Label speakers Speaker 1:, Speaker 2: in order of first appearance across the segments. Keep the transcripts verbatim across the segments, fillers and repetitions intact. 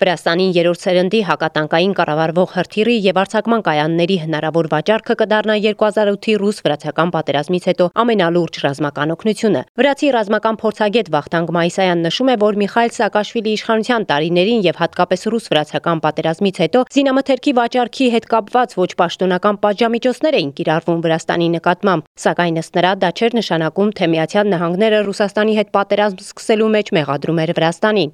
Speaker 1: Վրաստանին երրորդ սերնդի հակատանկային կառավարվող հրթիռի եւ արձակման կայանների հնարավոր վաճառքը կդառնա երկու հազար ութի ռուս-վրացական պատերազմից հետո ամենալուրջ ռազմական օգնությունը։ Վրացի ռազմական փորձագետ Վախթանգ Մայիսայանն նշում է, որ Միխայիլ Սաակաշվիլի իշխանության տարիներին եւ հատկապես ռուս-վրացական պատերազմից հետո զինամթերքի վաճառքի հետ կապված ոչ պաշտոնական պատժամիջոցներ էին կիրառվում Վրաստանի նկատմամբ, սակայն ըստ նրա դա չէր նշանակում, թե Միացյալ Նահանգները Ռուսաստանի հետ պատերազմ սկսելու մեջ մեղադրում էր Վրաստանին։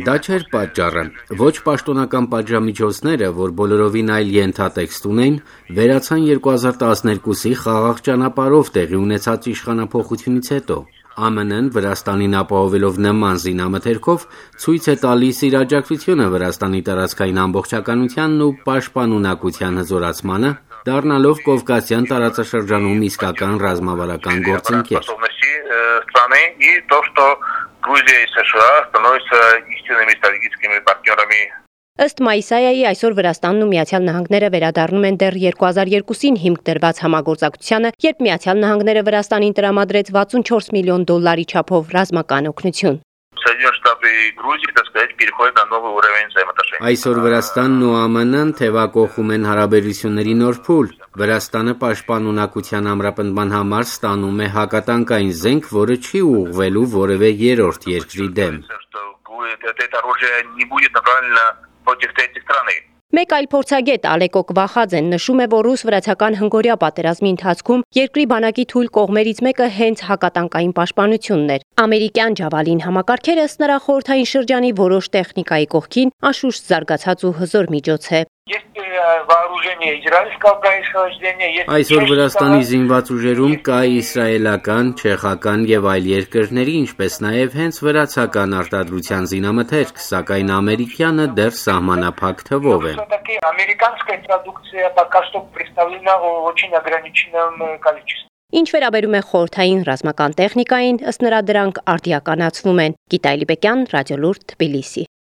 Speaker 2: Դա չէր պատճառը։ Ոչ պաշտոնական պատժամիջոցները, որ բոլորովին այլ ենթատեքստ ունեն, վերացան երկու հազար տասներկուսի խաղաղ ճանապարհով տեղի ունեցած իշխանափոխությունից հետո։ Է Մ Ն-ն Վրաստանին ապահովելով նման զինամթերքով ցույց է տալիս իր աջակցությունը Վրաստանի տարածքային ամբողջականությանն ու պաշտպանունակության հզորացմանը, դառնալով Կովկասյան տարածաշրջանում իսկական ռազմավարական գործընկեր։
Speaker 1: Ըստ Մայիսայայի այսօր Վրաստանն ու Միացյալ Նահանգները վերադառնում են դեռ երկու հազար երկուսին հիմք դրված համագործակցությանը, երբ Միացյալ Նահանգները Վրաստանին տրամադրեց վաթսունչորս միլիոն դոլարի չափով ռազմական օգնություն։
Speaker 2: Այսօր Վրաստանն ու Է Մ Ն-ն թևակողում են հարաբերությունների նոր փուլ։ Վրաստանը պաշտպանունակության ամրապնդման համար ստանում է հակատանկային զենք, որը չի ուղղվելու որևէ երրորդ երկրի դեմ։
Speaker 1: Մեկ այլ փորձագետ Ալեկո Կվախաձեն նշում է, որ ռուս-վրացական հնգօրյա պատերազմի ընթացքում երկրի բանակի թույլ կողմերից մեկը հենց հակատանկային պաշտպանությունն էր։ Ամերիկյան Ջավալին համակարգերը ըստ նրա խորհրդային շրջանի որոշ տեխնիկայի կողքին անշուշտ զարգացած ու հզոր միջոց է։
Speaker 2: Այսօր Վրաստանի զինված ուժերում կա իսրայելական, չեխական եւ այլ երկրների, ինչպես նաեւ հենց վրացական արտադրության զինամթերք, սակայն ամերիկյանը դեռ սահմանափակ թվով է։
Speaker 1: Ինչ վերաբերում է խորհրդային ռազմական տեխնիկային, ըստ նրա դրանք արդիականացվում են։ Գիտա Իլիպեկյան, Ռադիոլուրդ, Թբիլիսի։